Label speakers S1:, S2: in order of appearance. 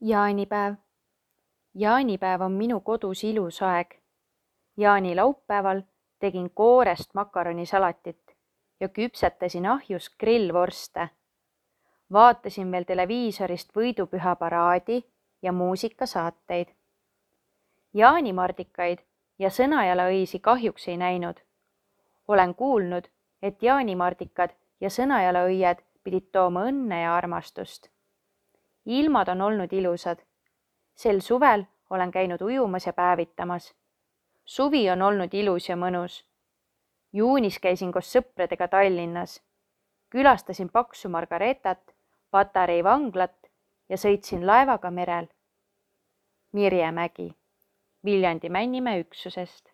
S1: Jaanipäev. Jaanipäev on minu kodus ilus aeg. Jaanilaupäeval tegin koorest makaronisalatit ja küpsetasin ahjus grillvorste. Vaatasin veel televiisorist võidupüha paraadi ja muusikasaateid. Jaanimardikaid ja sõnajalaõisi kahjuks ei näinud. Olen kuulnud, et jaanimardikad ja sõnajalaõied pidid tooma õnne ja armastust. Ilmad on olnud ilusad. Sel suvel olen käinud ujumas ja päevitamas. Suvi on olnud ilus ja mõnus. Juunis käisin koos sõpradega Tallinnas. Külastasin Paksu Margaretat, Patarei vanglat ja sõitsin laevaga merel. Mirje Mägi, Viljandi Männimäe üksusest.